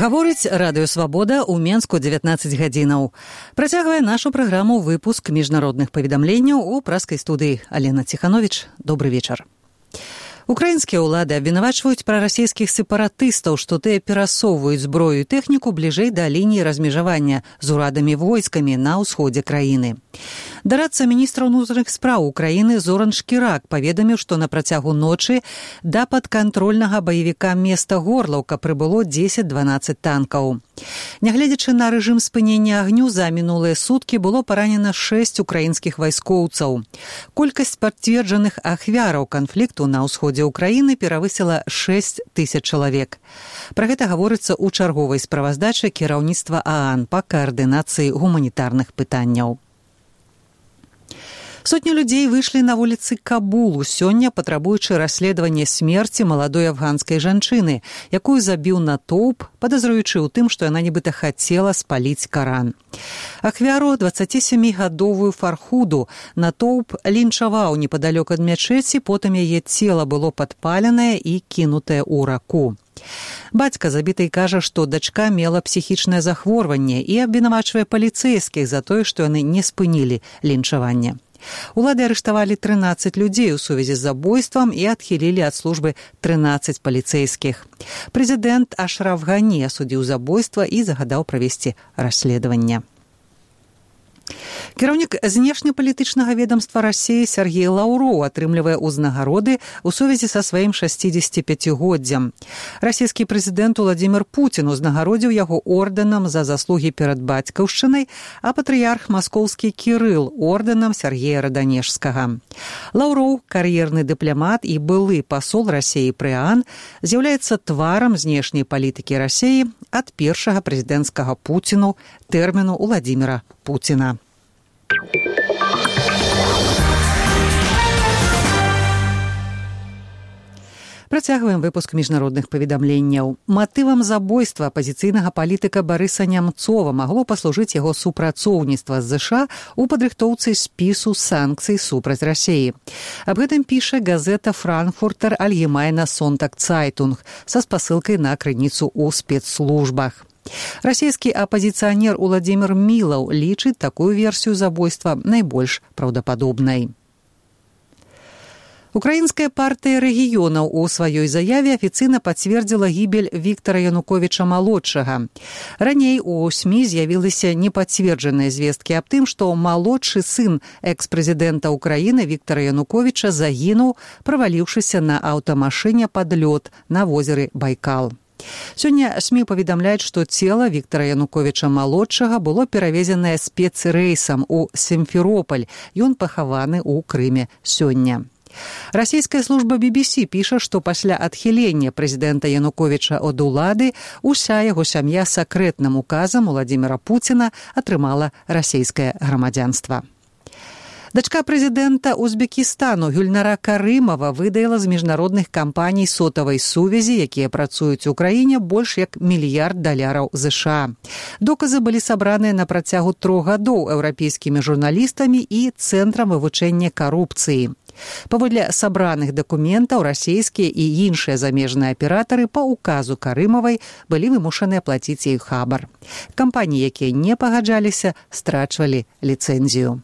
Гаворыць Радыё Свабода ў Менску 19 гадзінаў. Працягвае нашу праграму выпуск міжнародных паведамленняў у праскай студыі Алена Ціхановіч. Добры вечар. Украінскія ўлады абвінавачваюць прарасійскіх сепаратыстаў, што тыя перасоўваюць зброю і тэхніку бліжэй да лініі размежавання з урадамі войскамі на ўсходзе краіны. Дарадца міністра ўнутраных спраў Украіны Зоран Шкірак паведаміў, што на працягу ночы да падкантрольнага баевіка места Горлаўка прыбыло 10-12 танкаў. Нягледзячы на рэжым спынення агню, за мінулыя суткі было паранена 6 украінскіх вайскоўцаў. Колькасць пацверджаных ахвяраў канфлікту на ўсходзе Украіны перавысіла 6 тысяч чалавек. Пра гэта гаворыцца ў чарговай справаздачы кіраўніцтва ААН па каардынацыі гуманітарных пытанняў. Сотні людзей выйшлі на вуліцы Кабулу сёння, патрабуючы расследавання смерці маладой афганскай жанчыны, якую забіў натоўп, падазруючы ў тым, што яна нібыта хацела спаліць Каран. Ахвяру 27-гадовую Фархуду натоўп лінчаваў непадалёк ад мячэці, потым яе цела было падпаленае і кінутае ў раку. Бацька забітай кажа, што дачка мела псіхічнае захворванне і абвінавачвае паліцэйскіх за тое, што яны не спынілі лінчаванне. Улады арыштавалі 13 людзей у сувязі з забойствам і адхілілі ад службы 13 паліцэйскіх. Прэзідэнт Ашраф Гані асудзіў забойства і загадаў правесці расследаванне. Кіраўнік знешнепалітычнага ведамства Расіі Сергей Лаўроў атрымлівае ўзнагароды ў сувязі са сваім 65-годдзям. Расійскі прэзідэнт Уладзімір Пуцін узнагародзіў яго ордэнам за заслугі перад бацькаўшчынай, а патрыярх маскоўскі Кірыл ордэнам Сергея Раданежскага. Лаўроў, кар'ерны дыпламат і былы пасол Расіі пры ААН, з'яўляецца тварам знешняй палітыкі Расіі ад першага прэзідэнцкага Пуціну тэрміну Уладзіміра Пуціна. Працягваем выпуск міжнародных паведамленняў. Матывам забойства апазіцыйнага палітыка Барыса Нямцова магло паслужыць яго супрацоўніцтва з ЗША ў падрыхтоўцы спісу санкцый супраць Расіі. Аб гэтым піша газета «Франкфуртер Альгемайна Сонтаг-Цайтунг» са спасылкай на крыніцу ў спецслужбах. Расійскі апазіцыянер Уладзімір Мілаў лічыць такую версію забойства найбольш праўдападобнай. Украінская партыя рэгіёнаў у сваёй заяве афіцыйна пацвердзіла гібель Віктара Януковіча-малодшага. Раней у СМІ з'явіліся непацверджаныя звесткі аб тым, што малодшы сын экс-прэзідэнта Украіны Віктара Януковіча загінуў, праваліўшыся на аўтамашыне пад лёд на возеры Байкал. Сёння СМІ паведамляюць, што цела Віктара Януковіча-малодшага было перавезенае спецрэйсам у Сімферопаль. Ён пахаваны ў Крыме сёння. Расійская служба BBC піша, што пасля адхілення прэзідэнта Януковіча ад улады уся яго сям'я сакрэтным указам Уладзіміра Пуціна атрымала расійскае грамадзянства. Дачка прэзідэнта Узбекістану Гюльнара Карымова выдала з міжнародных кампаній сотавай сувязі, якія працуюць у краіне, больш як $1 мільярд ЗША. Доказы былі сабраныя на працягу 3 гадоў еўрапейскімі журналістамі і Цэнтрам вывучэння карупцыі. Паводле сабраных дакументаў расійскія і іншыя замежныя аператары па указу Карымавай былі вымушаныя плаціць ёй хабар. Кампаніі, якія не пагаджаліся, страчвалі ліцэнзію.